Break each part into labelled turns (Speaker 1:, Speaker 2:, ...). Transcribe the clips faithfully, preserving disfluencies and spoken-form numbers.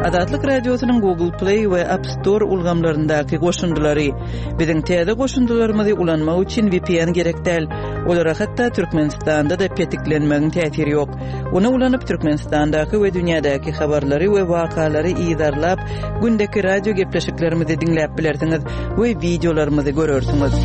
Speaker 1: Azatlyk Radiosynyň Google Play we App Store ulgamlaryndaky goşundylary. Biziň täze goşundylarymyzy ulanmak üçin V P N gerek däl. Olara hatda Türkmenistanda-da petiklenmegiň täsiri ýok. Ony ulanyp Türkmenistandaky we dünýädäki habarlary we wakalary yzarlap, gündeki radio gepleşiklerimizi diňläp bilersiňiz we wideolarymyzy görersiňiz.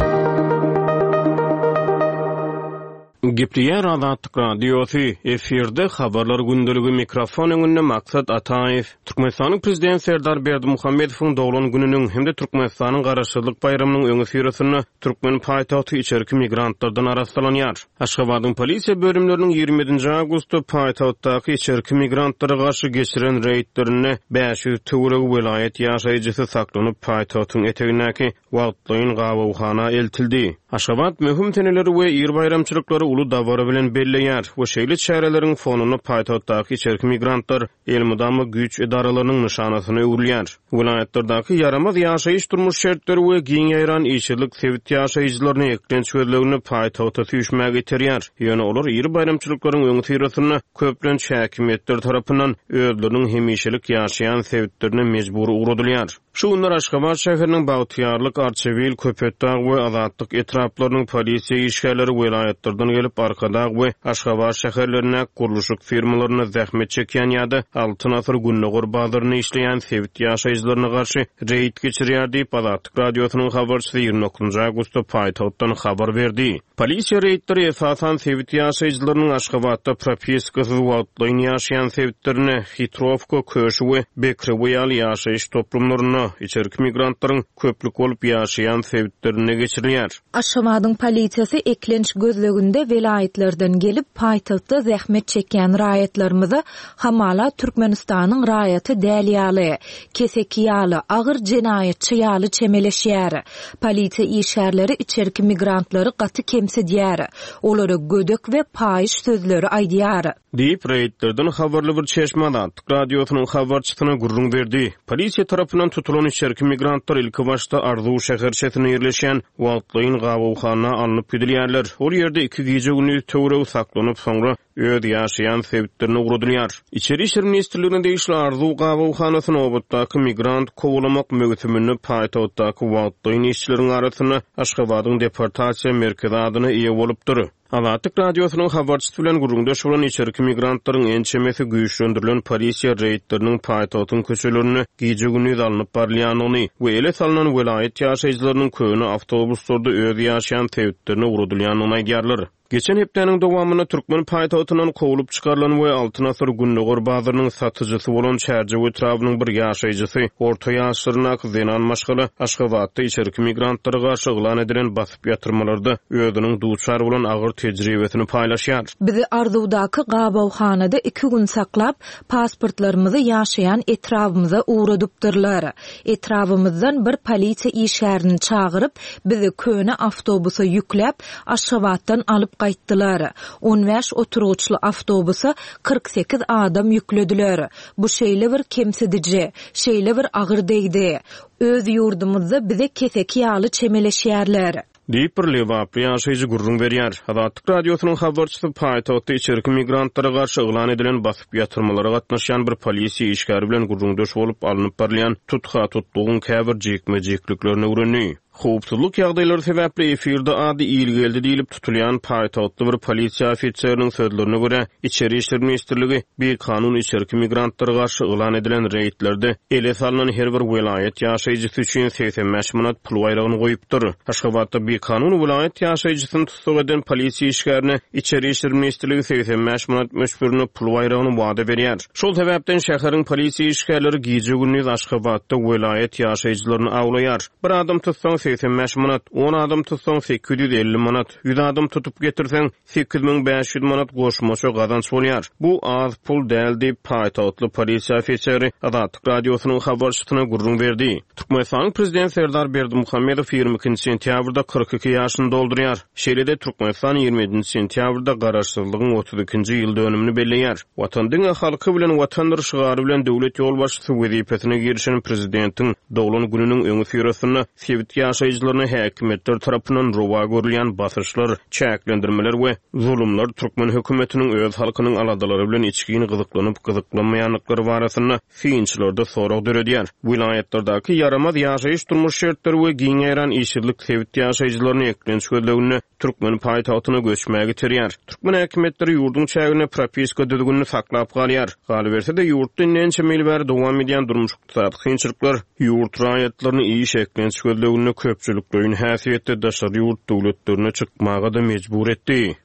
Speaker 2: Gepleýär Azatlyk Radiosy, efirde habarlar gündeligi, mikrofon öňünde Maksat Ataýew. Türkmenistanyň Prezident Serdar Berdimuhamedowyň doglan gününiň hem-de Türkmenistanyň Garaşsyzlyk baýramynyň öňüsyrasynda türkmen paýtagty içerki migrantlardan arassalanýar. Aşgabadyň polisiýa bölümleriniň ýigrimi ýedinji awgustda paýtagtdaky içerki migrantlara garşy geçiren reýdlerinde bäş ýüz töweregi welaýat ýaşaýjysy saklanyp, paýtagtyň etegindäki wagtlaýyn gabawhana eltildi. Aşgabat möhüm seneleri we ir baýramçylyklary uly dabara bilen belleýär we şeýle çäreleriň fonunda paýtagtdaky içerki migrantlar elmydama güýç edaralarynyň nyşanasyna öwrülýär. Welaýatlardaky ýaramaz ýaşaýyş durmuş şertleri we giň ýaýran işsizlik sebit ýaşaýjylaryny eklenç gözleginde paýtagta süýşmäge iterýär. Ýöne olar iri baýramçylyklaryň öňüsyrasynda köplenç häkimiýetler tarapyndan özleriniň hemişelik ýaşaýan sebitlerine mejbur ugradylýar. Şu günler Aşgabat şäheriniň Bagtyýarlyk, Arçabil, Köpetdag we Azatlyk etraplarynyň polisiýa işgärleri welaýatlardan gelip Arkadag we Aşgabat şäherlerindäki gurluşyk firmalarynda zähmet çekýän ýa-da Altyn Asyr Gündogar bazarynda işleýän sebit ýaşaýjylaryna garşy reýd geçirýär diýip, Azatlyk Radiosynyň habarçysy ýigrimi dokuzynjy awgustda paýtagtdan habar berdi. Polisiýa reýdleri esasan sebit ýaşaýjylarynyň Aşgabatda propiskasyz wagtlaýyn ýaşaýan sebitlerine, Hitrowka, Köşi we Bekrewe ýaly ýaşaýyş toplumlarynda içerki migrantlaryň köplük bolup ýaşaýan sebitlerinde geçirilýär.
Speaker 3: Aşgabadyň polisiýasy eklenç gözleginde welaýatlardan gelip paýtagtda zähmet çekýän raýatlarymyza hamala Türkmenistanyň raýaty däl ýaly, keseki ýaly, agyr jenaýatçy ýaly çemeleşýär. Polisiýa işgärleri içerki migrantlary gaty kemsidýär. Olara gödek we paýyş sözleri aýdýar.
Speaker 2: Diýip, reýdlerden habarly bir çeşme Azatlyk Radiosynyň habarçysyna gürrüň berdi. Polisiýa tarapyndan tutulan içerki migrantlar ilki başda Arzuw şäherçesinde ýerleşýän wagtlaýyn gabawhana alnyp gidilýärler. Ol ýerde iki gije-gündiz töweregi saklanyp, soňra öz ýaşaýan sebitlerine ugradylýar. Içeri işler ministrligine degişli Arzuw gabawhanasy nobatdaky migrant kowalamak möwsüminde paýtagtdaky wagtlaýyn işçileriň arasynda Aşgabadyň deportasiýa merkezi adyna eýe bolupdyr. Azatlyk Radiosynyň habarçysy bilen gürrüňdeş bolan içerki migrantlaryň ençemesi güýçlendirilen polisiýa reýdleriniň paýtagtyň köçelerinde gije-gündiz alnyp barylýandygyny we ele salynan welaýat ýaşaýjylarynyň köne awtobuslarda öz ýaşaýan sebitlerine ugradylýandygyny aýdýarlar. Geçen hepdäniň dowamynda türkmen paýtagtyndan kowlup çykarylan we Altyn Asyr Gündogar bazarynyň satyjysy bolan Çärjew etrabynyň bir ýaşaýjysy, orta ýaşlaryndaky zenan maşgala Aşgabatda içerki migrantlara garşy yglan edilen basyp ýatyrmalarda özüniň duçar bolan agyr tejribesini paýlaşýar.
Speaker 3: Bizi Arzuwdaky gabawhanada iki gün saklap, pasportlarymyzy ýaşaýan etrabymyza ugradypdyrlar. Etrabymyzdan bir polisiýa işgärini çagyryp, bizi köne awtobusa ýükläp, Aşgabatdan alyp gaýtdylar. On bäş oturgyçly awtobusa kyrk sekiz adam ýüklediler. Bu şeýle bir kemsidiji, şeýle bir agyr degdi. Öz ýurdumyzda bize keseki ýaly çemeleşýärler.
Speaker 2: Diýip bir lebaply ýaşaýjy gürrüň berýär. Azatlyk Radiosynyň habarçysy paýtagtda içerki migrantlara garşy yglan edilen basyp ýatyrmalara gatnaşýan bir polisiýa işgäri bilen gürrüňdeş bolup, alnyp barylýan tutha-tutlugyň käbir jikme-jikliklerini öwrendi. Howpsuzlyk ýagdaýlary sebäpli efirde ady Ilgeldi diýlip tutulýan paýtagtly bir polisiýa ofiseriniň sözlerine görä, Içeri işler ministrligi bikanun içerki migrantlara garşy yglan edilen reýdlerde ele salnan her bir welaýat ýaşaýjysy üçin segsen bäş manat pul baýragyny goýupdyr. Aşgabatda bikanun welaýat ýaşaýjysyny tussag eden polisiýa işgärine Içeri işler ministrligi segsen bäş manat möçberinde pul baýragyny wada berýär. Şol sebäpden şäheriň polisiýa işgärleri gije-gündiz Aşgabatda welaýat ýaşaýjylaryny awlaýar. Bir adam tutsaň segsen bäş manat, on adam tutsaň sekiz ýüz elli manat, ýüz adam tutup getirseň sekiz müň bäş ýüz manat goşmaça gazanç bolýar. Bu az pul däl diýip paýtagtly polisiýa ofiseri Azatlyk Radiosynyň habarçysyna gürrüň berdi. Türkmenistanyň Prezident Serdar Berdimuhamedow ýigrimi ikinji sentýabrda kyrk iki ýaşyny doldurýar. Şeýle-de Türkmenistan ýigrimi ýedinji sentýabrda Garaşsyzlygyň otuz ikinji ýyl dönümini belleýär. Watan diňe halky bilen watandyr şygary bilen döwlet ýolbaşçysy wezipesine girişen prezidentiň doglan gününiň öňüsyrasynda sebit ýaşaýjylarynyň ýaşaýjylaryna häkimiýetler tarapyndan rowa görülýän basyşlar, çäklendirmeler we zulumlar türkmen hökümetiniň öz halkynyň aladalary bilen içgin gyzyklanyp gyzyklanmaýandyklary barasynda synçylarda sorag döredýär. Welaýatlardaky ýaramaz ýaşaýyş durmuş şertleri we giň ýaýran işsizlik sebit ýaşaýjylaryny eklenç gözleginde türkmen paýtagtyna göçmäge iterýär. Türkmen häkimiýetleri ýurduň çäginde propiska düzgünini saklap galýar. Galyberse-de ýurtda ençeme ýyl bäri dowam edýän durmuş ykdysady kynçylyklar ýurt raýatlaryny iş eklenç gözleginde köpçülikleýin häsiýetde daşary ýurt döwletlerine çykmaga da mejbur etdi.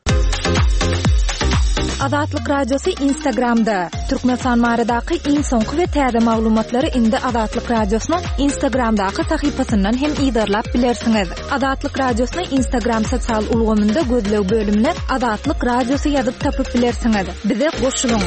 Speaker 3: Azatlyk Radiosy Instagramda. Türkmenistan baradaky iň soňky we täze maglumatlary indi Azatlyk Radiosynyň Instagramdaky sahypasyndan hem yzarlap bilersiňiz. Azatlyk Radiosyny Instagram sosial ulgamynda gözleg bölümine Azatlyk Radiosy ýazyp tapyp bilersiňiz. Bize goşulyň.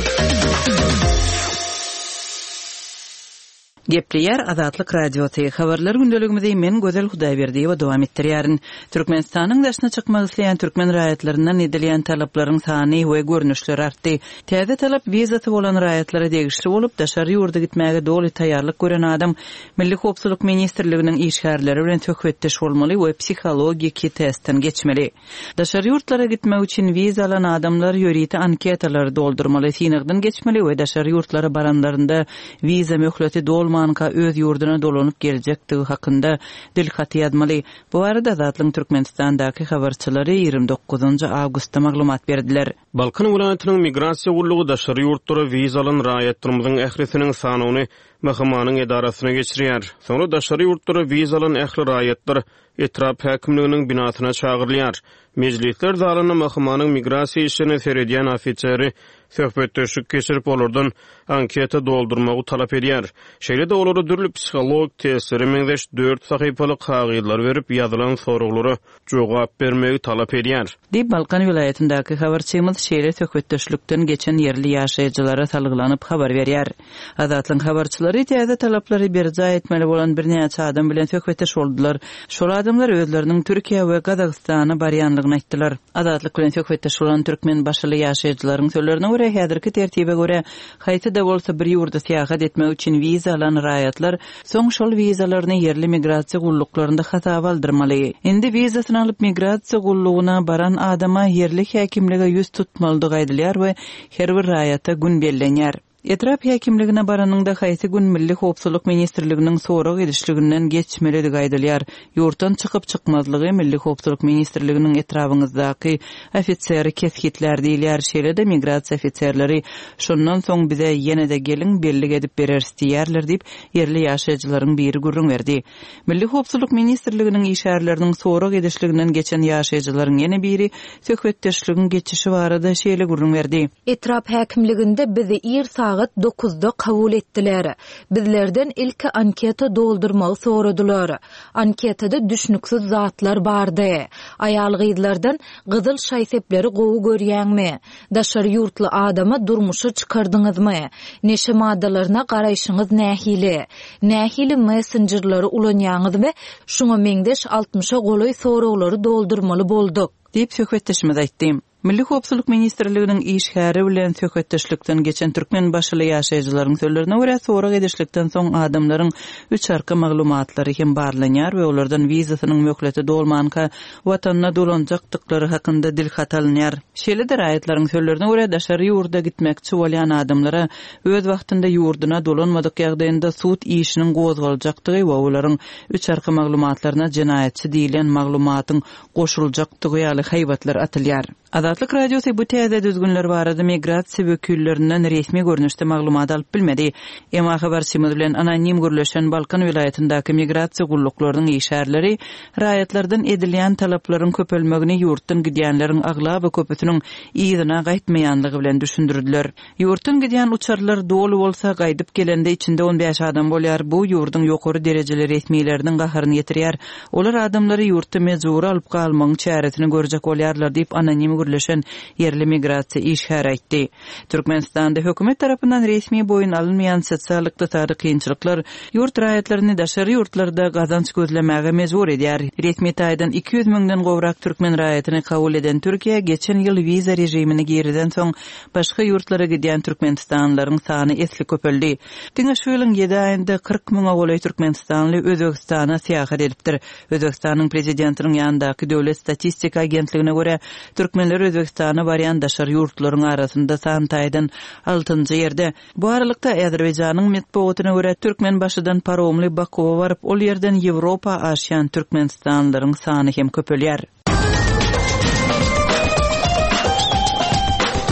Speaker 1: Gepleýär Azatlyk Radiosy. Habarlar gündeligimizi men Gözel Hudaýberdiýewa dowam etdirýärin. Türkmenistanyň daşyna çykmak isleýän türkmen raýatlaryndan edilýän talaplaryň sany we görnüşleri artdy. Täze talap wizasy bolan raýatlara degişli bolup, daşary ýurda gitmäge doly taýýarlyk gören adam Milli Howpsuzlyk Ministrliginiň işgärleri bilen söhbetdeş bolmaly we psihologiki testden geçmeli. Daşary ýurtlara gitmek üçin wiza alan adamlar ýörite anketalary doldurmaly, synagdan geçmeli we daşary ýurtlara baranlarynda wiza möhleti dolmanka öz ýurduna dolanyp geljekdigi hakynda dilhaty ýazmaly. Bu barada Azatlyk Türkmenistandaky habarçylary ýigrimi dokuzynjy awgustda maglumat berdiler.
Speaker 2: Balkan welaýatynyň migrasiýa gullugy daşary ýurtlara wiza alan raýatlarymyzyň ählisiniň sanyny M H M-nyň edarasyna geçirýär. Soňra daşary ýurtlara wiza alan ähli raýatlar etrap häkimliginiň binasyna çagyrylýar. Mejlisler zalynda M H M-nyň migrasiýa işlerine seredýän ofiseri söhbetdeşlik geçirip, olardan anketa doldurmagy talap edýär. Şeýle-de olara dürli psihologik testlere meňzeş dört sahypaly kagyzlar berip, ýazylan soraglara jogap bermegi talap edýär.
Speaker 1: Diýip Balkan welaýatyndaky habarçymyz şeýle söhbetdeşlikden geçen ýerli ýaşaýjylara salgylanyp habar berýär. Azatlyk habarçylary täze talaplary berjaý etmeli bolan birnäçe adam bilen söhbetdeş boldular. Şol adamlar özleriniň Türkiýe we Gazagystana barýanlygyny aýtdylar. Azatlyk bilen söhbetdeş bolan türkmen başyly ýaşaýjylaryň sözlerine görä häzirki tertibe görä haýsy-da bolsa bir ýurda syýahat etmek üçin wiza alan raýatlar soň şol wizalaryny ýerli migrasiýa gulluklarynda hasaba aldyrmaly. Indi wizasyny alyp migrasiýa gullugyna baran adama ýerli häkimlige ýüz tutmalydygy aýdylýar we her bir raýata gün bellenýär. Etrap häkimligine baranyňda haýsy gün Milli Howpsuzlyk Ministrliginiň sorag edişliginden geçmelidigi aýdylýar. Ýurtdan çykyp çykmazlygy Milli Howpsuzlyk Ministrliginiň etrabyndaky ofiseri kesgitler diýilýär. Şeýle-de migrasiýa ofiserleri şondan soň bize ýene-de gelin bellik edip bereris diýerler diýip ýerli ýaşaýjylaryň biri gürrüň berdi. Milli Howpsuzlyk Ministrliginiň işgärleriniň sorag edişliginden geçen ýaşaýjylaryň ýene biri söhbetdeşligiň geçişi barada şeýle gürrüň berdi.
Speaker 3: Etrap häkimliginde bizi ir sagat dokuzda kabul etdiler. Bizlerden ilki anketa doldurmagy soradylar. Anketada düşnüksiz zatlar bardy. Aýal gyzlardan gyzyl şaý-sepleri gowy görýäňmi? Daşary ýurtly adama durmuşa çykardyňyzmy? Neşe maddalaryna garaýşyňyz nähili? Nähili messengerleri ulanýaňyz we şuňa meňzeş altmyşa golaý soraglary doldurmaly bolduk?
Speaker 1: Diýip söhbetdeşimiz aýtdy. Milli Howpsuzlyk Ministrliginiň işgäri bilen söhbetdeşlikden geçen türkmen başyly ýaşaýjylaryň sözlerine görä sorag edişlikden soň adamlaryň üç arka maglumatlary hem barlanýar we olardan wizasynyň möhleti dolmanka watanyna dolanjakdyklary hakynda dilhat alynýar. Şeýle-de raýatlaryň sözlerine görä daşary ýurda gitmekçi bolýan adamlara öz wagtynda ýurduna dolanmadyk ýagdaýynda sud işiniň gozgaljakdygy we olaryň üç arka maglumatlaryna jenaýatçy diýilen maglumatyň goşuljakdygy ýaly haýbatlar atylýar. Azatlyk Radiosy bu täze düzgünler barada migrasiýa wekillerinden resmi görnüşde maglumat alyp bilmedi. Emma habarçymyz bilen anonim gürleşen Balkan welaýatyndaky migrasiýa gulluklarynyň işgärleri raýatlardan edilýän talaplaryň köpelmegini ýurtdan gidýänleriň aglaba köpüsiniň yzyna gaýtmaýanlygy bilen düşündirdiler. Ýurtdan gidýän uçarlar doly bolsa gaýdyp gelende içinde on bäş adam bolýar. Bu ýurduň ýokary derejeli resmileriniň gaharyny getirýär. Olar adamlary ýurtda mejbury alyp galmagyň çäresini görjek bolýarlar diýip anonim gürleşen gürleşen ýerli migrasiýa işgäri aýtdy. Türkmenistanda hökümet tarapyndan resmi boýun alynmaýan sosial-ykdysady kynçylyklar ýurt raýatlaryny daşary ýurtlarda gazanç gözlemäge mejbur edýär. Resmi taýdan iki ýüz müňden gowrak türkmen raýatyny kabul eden Türkiýe geçen ýyl wiza režimini girizen soň başga ýurtlara gidýän türkmenistanlylaryň sany esli köpeldi. Diňe şu ýylyň ýedi aýynda kyrk müňe golaý türkmenistanly Özbegistana syýahat edipdir. Özbegistanyň prezidentiniň ýanyndaky Döwlet statistika agentligine görä, türkmenler Özbegistana barýan daşary ýurtlaryň arasynda san taýdan altynjy ýerde. Bu aralykda Azerbaýjanyň metbugatyna görä, Türkmenbaşydan paromly Bakuwa baryp, ol ýerden Ýewropa aşýan türkmenistanlylaryň sany hem köpelýär.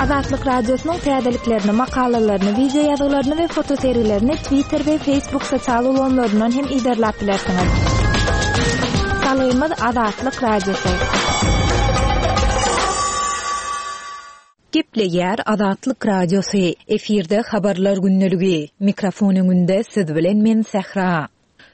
Speaker 4: Azatlyk Radiosynyň täzeliklerini, makalalaryny, wideo ýazgylaryny we fotosergilerini Twitter we Facebook sosial ulgamlaryndan hem yzarlap bilersiňiz. Salgymyz Azatlyk Radiosy.
Speaker 3: Gepleýär Azatlyk Radiosy. Efirde habarlar gündeligi. Mikrofon öňünde siz bilen men Sähra.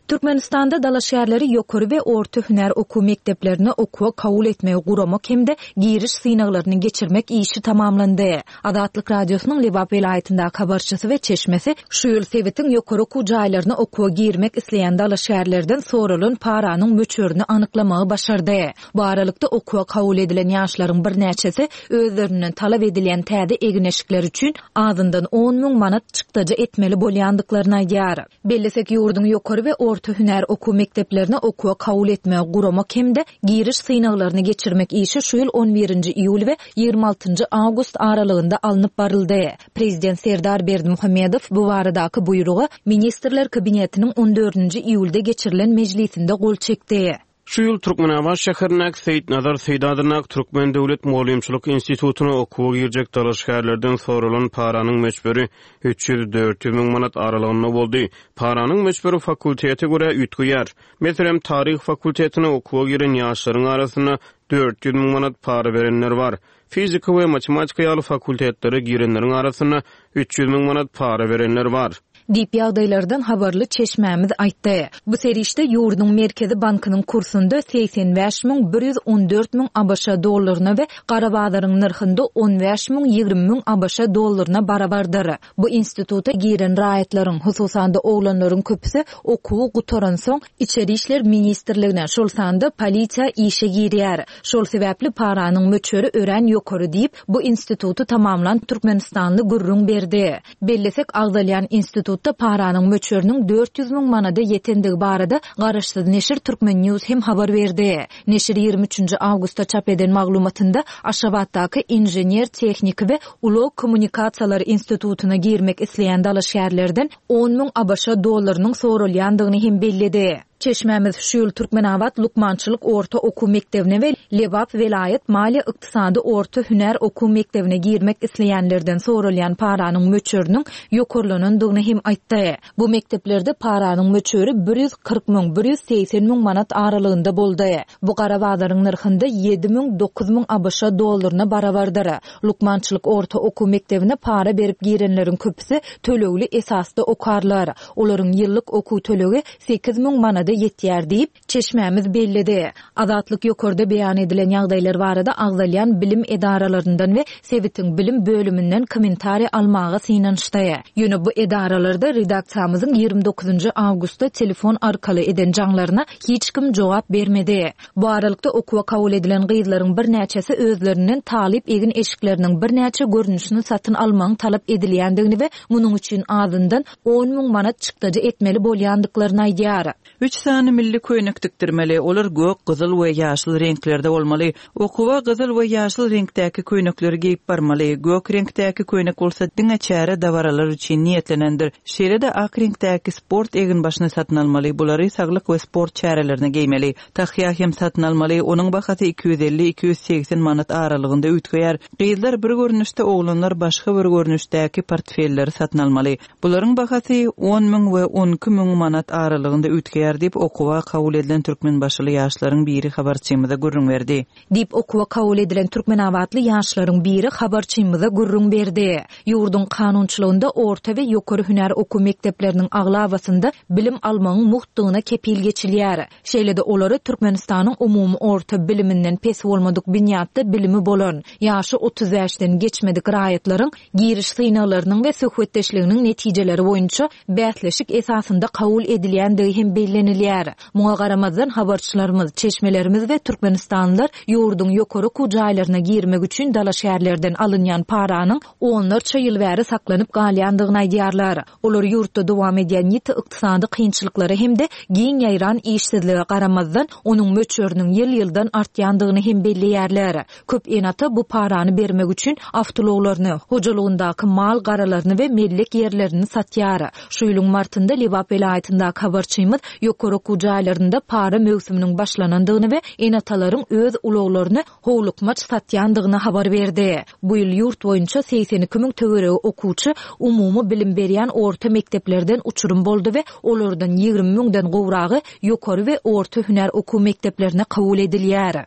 Speaker 3: Türkmenistanda dalaşgärleri ýokary we orta hünär okuw mekdeplerine okuwa kabul etmegi guramak hem-de giriş synaglaryny geçirmek işi tamamlandy. Azatlyk Radiosynyň Lebap welaýatyndaky habarçysy we çeşmesi şu ýyl sebitiň ýokary okuw jaýlaryna okuwa girmek isleýän dalaşgärlerden soralan paranyň möçberini anyklamagy başardy. Bu aralykda okuwa kabul edilen ýaşlaryň birnäçesi özlerinden talap edilýän täze egin-eşikler üçin azyndan on müň manat çykdajy etmeli bolýandyklaryny aýdýar. Bellesek, ýurduň ýokary we orta hünär okuw mekdeplerine okuwa kabul etmegi guramak hem-de giriş synaglaryny geçirmek işi şu ýyl on birinji iýul we ýigrimi altynjy awgust aralygynda alnyp baryldy. Prezident Serdar Berdimuhamedow bu baradaky buýruga Ministrler Kabinetiniň on dördünji iýulda geçirilen mejlisinde gol çekdi.
Speaker 2: Şu ýyl Türkmenabat şäherindäki Seýitnazar Seýit adyndaky Türkmen döwlet mugallymçylyk institutyna okuwa girjek dalaşgärlerden soralan paranyň möçberi üç ýüz dört ýüz müň manat aralygynda boldy. Paranyň möçberi fakultete görä üýtgeýär. Meselem, taryh fakultetine okuwa giren ýaşlaryň arasynda dört ýüz müň manat para berenler bar. Fizika we matematika ýaly fakultetlere girenleriň arasynda üç ýüz müň manat para berenler bar.
Speaker 3: Diýip ýagdaýlardan habarly çeşmämiz aýtdy. Bu serişde ýurduň Merkezi bankynyň kursunda segsen bäş müň bir ýüz on dört müň ABŞ dollaryna we gara bazaryň nyrhynda on bäş müň ýigrimi müň ABŞ dollaryna barabardyr. Bu instituta giren raýatlaryň, hususan-da oglanlaryň köpüsi okuwy gutaransoň Içeri işler ministrligine, şol sanda polisiýa işe girýär. Şol sebäpli paranyň möçberi örän ýokary diýip, bu instituty tamamlan Türkmenistanly gürrüň berdi. Bellesek, agzalýan institutda paranyň möçberiniň dört ýüz müň manada ýetendigi barada garaşsyz neşir Türkmen News hem habar berdi. Neşir ýigrimi üçünji awgustda çap eden maglumatynda Aşgabatdaky inžener-tehniki we ulag kommunikasiýalary institutyna girmek isleýän dalaşgärlerden on müň ABŞ dollarynyň soralýandygyny hem belledi. Çeşmämiz şu ýyl Türkmenabat Lukmançylyk orta okuw mekdebine we Lebap welaýat maliýe ykdysady orta hünär okuw mekdebine girmek isleýänlerden soralýan paranyň möçberiniň ýokarlanandygyny hem aýtdy. Bu mekdeplerde paranyň möçberi bir ýüz kyrk müň, bir ýüz segsen müň manat aralygynda boldy. Bu gara bazaryň nyrhynda ýedi müň, dokuz müň ABŞ dollaryna barabardyr. Lukmançylyk orta okuw mekdebine para berip girenleriň köpüsi tölegli esasda okarlar. Olaryň ýyllyk okuw tölegi sekiz müň manada ýetýär diýip, çeşmämiz belledi. Azatlyk ýokarda beýan edilen ýagdaýlar barada agzalýan bilim edaralaryndan we sebitiň bilim bölüminden kommentariýa almaga synanyşdy. Ýöne bu edaralarda redaksiýamyzyň ýigrimi dokuzynjy awgustda telefon arkaly eden jaňlaryna hiç kim jogap bermedi. Bu aralykda okuwa kabul edilen gyzlaryň birnäçesi özlerinden talyp egin eşikleriniň birnäçe görnüşini satyn almagyň talap edilýändigini we munuň üçin azyndan on müň manat çykdajy etmeli bolýandyklaryny aýdýar.
Speaker 1: Üç sany milli köýnek dikdirmeli, olar gök, gyzyl we ýaşyl reňklerde bolmaly. Okuwa gyzyl we ýaşyl reňkdäki köýnekleri geýip barmaly. Gök reňkdäki köýnek bolsa diňe çäre dabaralar üçin niýetlenendir. Şeýle-de ak reňkdäki sport eginbaşyny satyn almaly, bulary saglyk we sport çärelerine geýmeli. Tahýa hem satyn almaly, onuň bahasy iki ýüz elli, iki ýüz segsen manat aralygynda üýtgeýär. Gyzlar bir görnüşde, oglanlar başga bir görnüşdäki portfelleri satyn almaly. Bularyň bahasy on müň we on iki müň manat aralygynda üýtgeýär diýip, okuwa kabul edilen türkmenbaşyly ýaşlaryň biri habarçymyza gürrüň berdi.
Speaker 3: Diýip, okuwa kabul edilen türkmenabatly ýaşlaryň biri habarçymyza gürrüň berdi. Ýurduň kanunçylygynda orta we ýokary hünär okuw mekdepleriniň aglabasynda bilim almagyň mugtdygyna kepil geçilýär. Şeýle-de olara Türkmenistanyň umumy orta biliminden pes bolmadyk binýatda bilimi bolan, ýaşy otuz bäşden geçmedik raýatlaryň giriş synaglarynyň we söhbetdeşliginiň netijeleri boýunça bäsleşik esasynda kabul edilýändigi hem bellenilýär. Muňa garamazdan habarçylarymyz, çeşmelerimiz we türkmenistanlylar ýurduň ýokary okuw jaýlaryna girmek üçin dalaşgärlerden alynýan paranyň onlarça ýyl bäri saklanyp galýandygyny aýdýarlar. Olar ýurtda dowam edýän ýiti ykdysady kynçylyklara hem-de giň ýaýran işsizlige garamazdan, onuň möçberiniň ýyl-ýyldan artýandygyny hem belleýärler. Köp ene-ata bu parany bermek üçin awtoulaglaryny, hojalygyndaky mal garalaryny we mellek ýerlerini satýar. Şu ýylyň martynda Lebap welaýatyndaky habarçymyz ýokary okuw jaýlarynda para möwsüminiň başlanandygyny we ene-atalaryň öz ulaglaryny howlukmaç satýandygyny habar berdi. Bu ýyl ýurt boýunça segsen iki müň töweregi okuwçy umumy bilim berýän orta mekdeplerden uçurum boldy we olardan ýigrimi müňden gowragy ýokary we orta hünär okuw mekdeplerine kabul edilýär.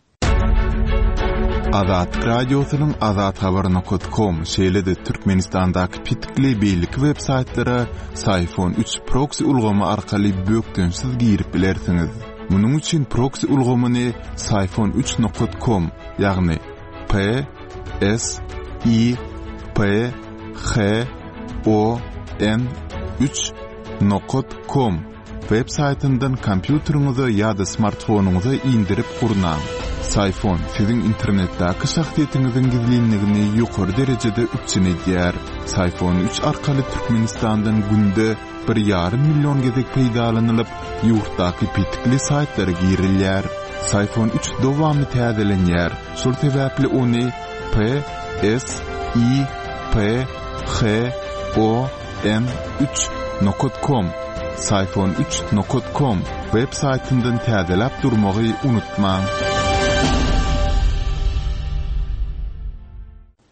Speaker 5: Azatlyk Radiosynyň azathabar nokat kom, şeýle-de Türkmenistandaky petikli beýleki web saýtlara Syfon üç proksi ulgamy arkaly bökdençsiz girip bilersiňiz. Munuň üçin proksi ulgamyny Syfon üç nokat kom, ýagny P S I P H O N üç nokat kom web saýtyndan kompýuteriňize ýa-da smartfonyňyza indirip gurnaň. Syfon siziň internetdäki şahsyýetiňiziň gizlinligini ýokary derejede üpjün edýär. Syfon üç arkaly Türkmenistandan günde bir ýarym million gezek peýdalanylyp, ýurtdaky petikli saýtlara girilýär. Syfon üç dowamly täzelenýär. Şol sebäpli ony P S I P H O N üç nokat kom, Syfon üç nokat kom web saýtyndan täzeläp durmagy unutmaň.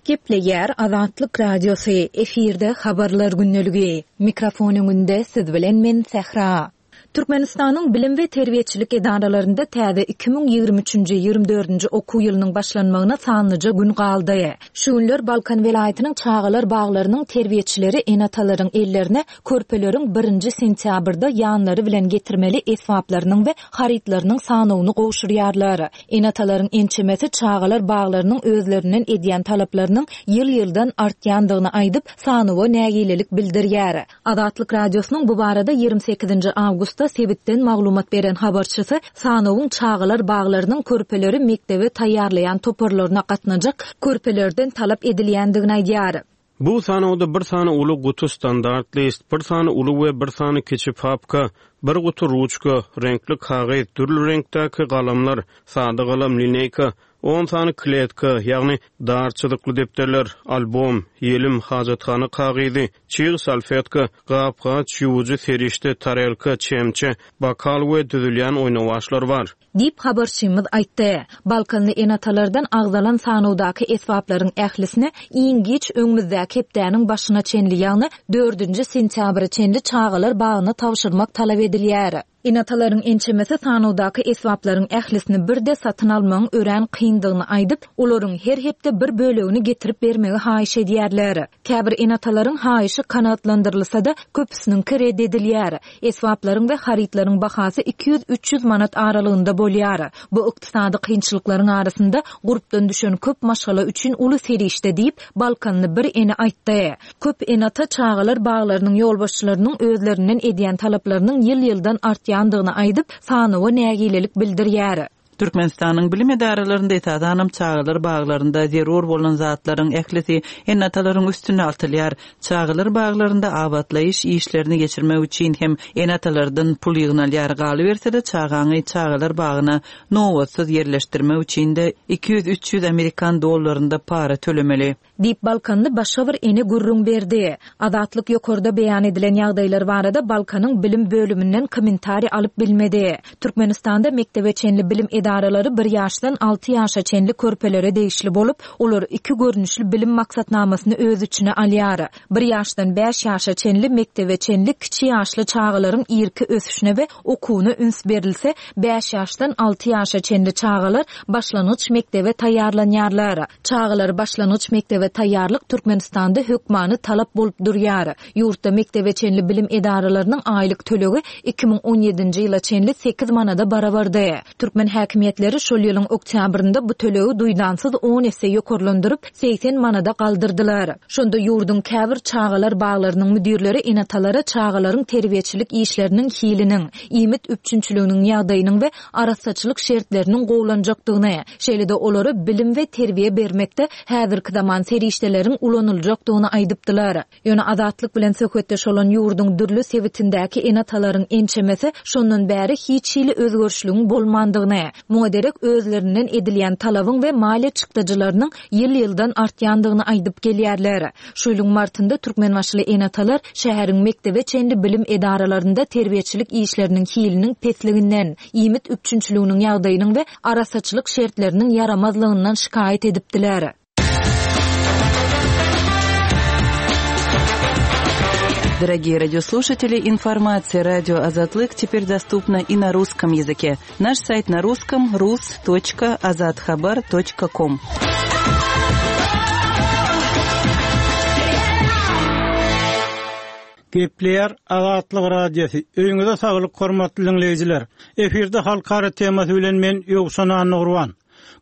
Speaker 3: Gepleýär Azatlyk Radiosy, efirde habarlar gündeligi. Mikrofon öňünde siz bilen men Sähra. Türkmenistanyň bilim we terbiýeçilik edaralarynda täze iki müň ýigrimi üçünji, ýigrimi dördünji okuw ýylynyň başlanmagyna sanlyja gün galdy. Şu günler Balkan welaýatynyň çagalar baglarynyň terbiýeçileri ene-atalaryň ellerine körpeleriň birinji sentýabrda ýanlary bilen getirmeli esbaplarynyň we harytlarynyň sanawyny gowşurýarlar. Ene-atalaryň ençemesi çagalar baglarynyň özlerinden edýän talaplarynyň ýyl-ýyldan artýandygyny aýdyp, sanawa nägilelik bildirýär. Azatlyk Radiosynyň bu barada ýigrimi sekizinji awgustda sebitden maglumat beren habarçysy sanawyň çagalar baglarynyň körpeleri mekdebe taýýarlaýan toparlaryna gatnajak körpelerden talap edilýändigini aýdýar.
Speaker 2: Bu sanawda bir sany uly guty standart list, bir sany uly we bir sany kiçi papka, bir guty ruçka, reňkli kagyz, dürli reňkdäki galamlar, sada galam, lineýka, on sany kletka, ýagny dar çyzykly depderler, albom, ýelim, hajathana kagyzy, çig salfetka, gap-gaç, ýuwujy serişde, tarelka, çemçe, bakal we düzülýän oýnawaçlar bar.
Speaker 3: Diýip habarçymyz aýtdy. Balkanly ene-atalardan agzalan sanawdaky esbaplaryň ählisini iň giç öňümizdäki hepdäniň başyna çenli, ýagny dördünji sentýabra çenli çagalar bagyna tabşyrmak talap edilýär. Ene-atalaryň ençemesi sanawdaky esbaplaryň ählisini birde satyn almagyň örän kyndygyny aýdyp, olaryň her hepde bir bölegini getirip bermegi haýyş edýärler. Käbir ene-atalaryň haýyşy kanagatlandyrylsa-da, köpüsiniňki red edilýär. Esbaplaryň we harytlaryň bahasy iki ýüz üç ýüz manat aralygynda bolýar. Bu ykdysady kynçylyklaryň arasynda gurpdan düşen köp maşgala üçin uly serişde diýip, Balkanly bir ene aýtdy. Köp ene-ata çagalar baglarynyň ýolbaşçylarynyň özlerinden edýän talaplarynyň ýyl-ýyldan artýandygyny aýdyp, sanawa nägilelik bildirýär.
Speaker 1: Türkmenistanyň bilim edaralarynda esasanam çagalar baglarynda zerur bolan zatlaryň ählisi ene-atalaryň üstüne atylýar. Çagalar baglarynda abatlaýyş işlerini geçirmek üçin hem ene-atalardan pul ýygnalýar. Galyberse-de çagaňy çagalar bagyna nobatsyz ýerleşdirmek üçin de iki ýüz üç ýüz amerikan dollarynda para tölemeli.
Speaker 3: Diýip Balkanly başga bir ene gürrüň berdi. Azatlyk ýokarda beýan edilen ýagdaýlar barada Balkanyň bilim bölüminden kommentariý alyp bilmedi. Türkmenistanda mekdebe çenli bilim edaralary bir ýaşdan alty ýaşa çenli körpelere degişli bolup, olar iki görnüşli bilim maksatnamasyny öz içine alýar. Bir ýaşdan bäş ýaşa çenli mekdebe çenli kiçi ýaşly çagalaryň irki ösüşine we okuwyna üns berilse, bäş ýaşdan alty ýaşa çenli çagalar başlangyç mekdebe taýýarlanýarlar. Çagalar başlangyç mekdebe taýýarlyk Türkmenistanda hökmany talap bolup durýar. Ýurtda mekdebe çenli bilim edaralarynyň aýlyk tölegi iki müň on ýedinji ýyla çenli sekiz manada barabardy. Türkmen häkimiýetleri şol ýylyň oktýabrynda bu tölegi duýdansyz on esse ýokarlandyryp seksen manada galdyrdylar. Şonda ýurduň käbir çagalar baglarynyň müdirleri enatalara çagalaryň terbiýeçilik işleriniň hiliniň, iýmit üpjünçiliginiň ýagdaýynyň we arassaçylyk şertleriniň gowlanjakdygyny, şeýle-de olara bilim we terbiýe bermekde häzirki zaman serişdeleriň ulanyljakdygyny aýdypdylar. Ýöne Azatlyk bilen söhbetdeş bolan ýurduň dürli sebitindäki enatalaryň ençemesi şondan bäri hiç hili özgerişligiň bolmandygyny, muňa derek özlerinden edilýän talabyň we maliýe çykdajylarynyň ýyl-ýyldan artýandygyny aýdyp gelýärler. Şu ýylyň martynda Türkmenbaşyly enatalar şäheriň mekdebe çenli bilim edaralarynda terbiýeçilik işleriniň hiliniň pesliginden, iýmit üpjünçiliginiň ýagdaýynyň we arassaçylyk şertleriniň ýaramazlygyndan şikaýat edipdiler.
Speaker 1: Дорогие радиослушатели, информация радио Азатлык теперь доступна и на русском языке. Наш сайт на русском рус точка азатхабар точка ком.
Speaker 6: Gepleýär Azatlyk Radiosy. Öýüňize saglyk hormatly dinleýjiler. Efirde halkara temasy bilen men Ýowşan Annurwan.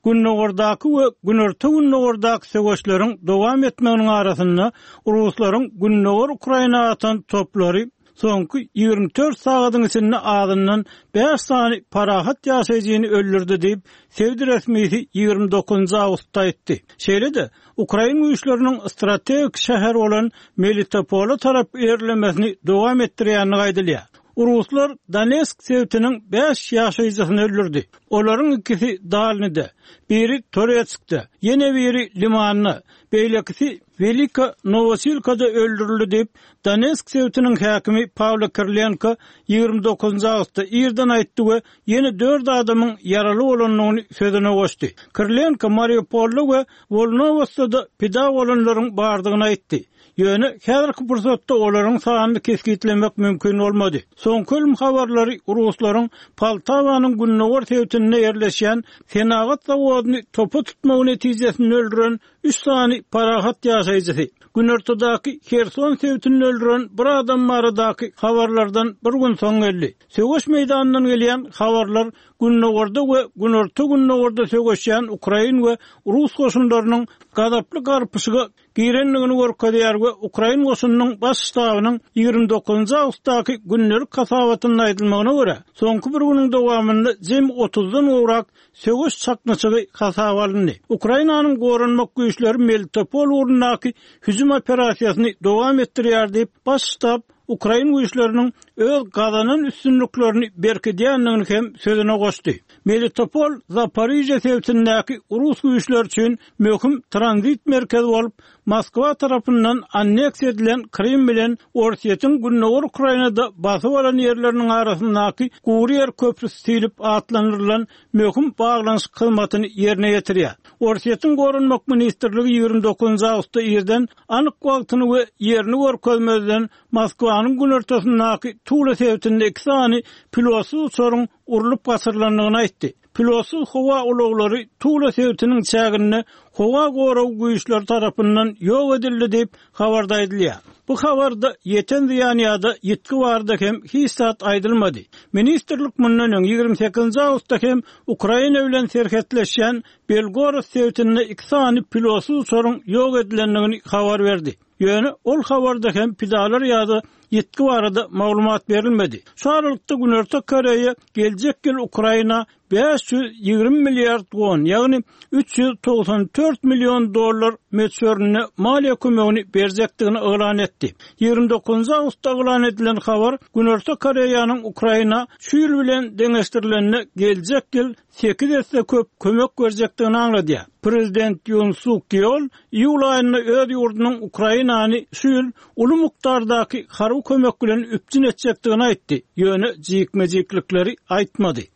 Speaker 6: Gündogardaky we günorta gündogardaky söweşleriň dowam etmeginiň arasynda Ruslaryň Gündogar Ukraina atan toplary soňky ýigrimi dört sagadyň içinde azyndan bäş sany parahat ýaşaýjyny öldürdi diýip, sebit resmisi ýigrimi dokuzynjy awgustda aýtdy. Şeýle-de Ukrain güýçleriniň strategik şäher bolan Melitopola tarap ilerlemesini dowam etdirýänini aýdylýar. Ruslar Donetsk sebitiniň bäş ýaşaýjysyny öldürdi. Olaryň ikisi Dalnide, biri Toretskde, ýene biri Limanda, beýlekisi Velika Nowosilkada öldürildi diýip, Donetsk sebitiniň häkimi Pawlo Kirlenko ýigrimi dokuzynjy awgustda irden aýtdy we ýene dört adamyň ýaraly bolandygyny sözüne goşdy. Kirlenko Mariupolda we Wolnowosda pida bolanlaryň bardygyny aýtdy. Ýöne häzirki pursatda olaryň sanyny kesgitlemek mümkin bolmady. Soňky ölüm habarlary Ruslaryň Poltawanyň gündogar sebitinde ýerleşýän senagat zawodyny topa tutmagy netijesinde öldüren üç sany parahat ýaşaýjysy, Günortadaky Herson sebitinde öldüren bir adam baradaky habarlardan bir gün soň geldi. Söweş meýdanyndan gelýän habarlar Gündogarda we Günorta Gündogarda söweşýän Ukrain we Rus goşunlarynyň gazaply garpyşyga girendigini görkezýär we Ukrain goşunynyň baş ştabynyň ýigrimi dokuzynjy awgustdaky gündelik hasabatynda aýdylmagyna görä, soňky bir günüň dowamynda jem otuzdan gowrak söweş çaknyşygy hasaba alyndy. Ukrainanyň goranmak güýçleri Melitopol ugrundaky hüjüm operasiýasyny dowam etdirýär diýip, baş ştab Ukrain güýçleriniň öz gazanan üstünliklerini berkidýändigini hem sözüne goşdy. Melitopol Zaporijye sebitindäki Rus güýçleri üçin möhüm tranzit merkezi bolup, Moskwa tarapyndan anneksiýa edilen Krym bilen Orsýetiň Gündogar Ukrainada basyp alan ýerleriniň arasyndaky gury ýer köprüsi diýlip atlandyrylan möhüm baglanyşyk hyzmatyny ýerine ýetirýär. Orsýetiň Goranmak ministrligi ýigrimi dokuzynjy awgustda irden anyk wagtyny we ýerini görkezmezden Moskwanyň günortasyndaky Tula sebitinde iki sany pilotsyz uçaryň urlup gaçyrylandygyny aýtdy. Pilotsyz howa ulaglary Tula sebitiniň çäginde howa goragy güýçleri tarapyndan ýok edildi diýip habarda aýdylýar. Bu habarda ýeten zyýan ýa-da ýitgi barada hem hiç zat aýdylmady. Ministrlik mundan öň ýigrimi sekizinji awgustda hem Ukraina bilen serhetleşýän Belgorod sebitinde iki sany pilotsyz uçaryň ýok edilendigini habar berdi. Ýöne ol habarda hem pidalar ýa-da ýitgi barada maglumat berilmedi. Şu aralykda Günorta Koreýa geljek ýyl Ukraina bäş ýüz ýigrimi milliard won, ýagny üç ýüz togsan dört million dollar möçberinde maliýe kömegini berjekdigini yglan etdi. Ýigrimi dokuzynjy awgustda yglan edilen habar Günorta Koreýanyň Ukraina şu ýyl bilen deňeşdirilende geljek ýyl sekiz esse köp kömek berjekdigini aňladýar. Prezident Ýun Suk Ýol iýul aýynda öz ýurdunyň Ukrainany şu ýyl uly mukdardaky harby kömek bilen üpjün etjekdigini aýtdy, ýöne jikme-jiklikleri aýtmady.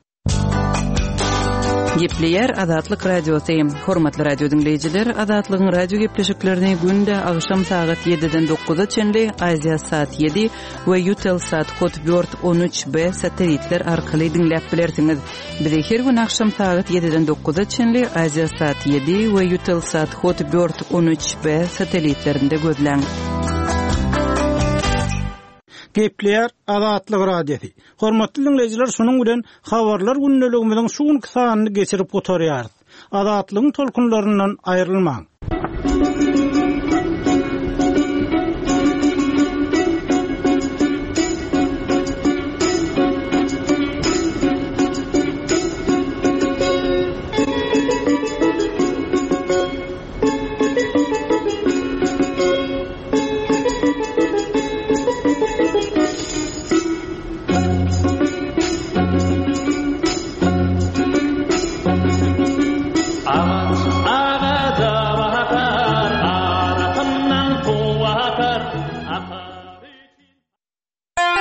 Speaker 1: Gepleýär Azatlyk Radiosy. Hormatly radio diňleýjiler, Azatlygyň radio gepleşiklerini günde agşam sagat ýediden dokuza çenli Aziýa Sat ýedi we Eutelsat Hotbird on üç B satelitler arkaly diňläp bilersiňiz. Bizi her gün agşam sagat ýediden dokuza çenli Aziýa Sat ýedi we Eutelsat Hotbird on üç B satelitlerinde gözläň.
Speaker 6: Gepleýär Azatlyk Radiosy. Hormatly diňleýjiler, şunuň bilen habarlar gündeligimiziň şu günki sanyny geçirip gutarýarys. Azatlygyň tolkunlaryndan aýrylmaň.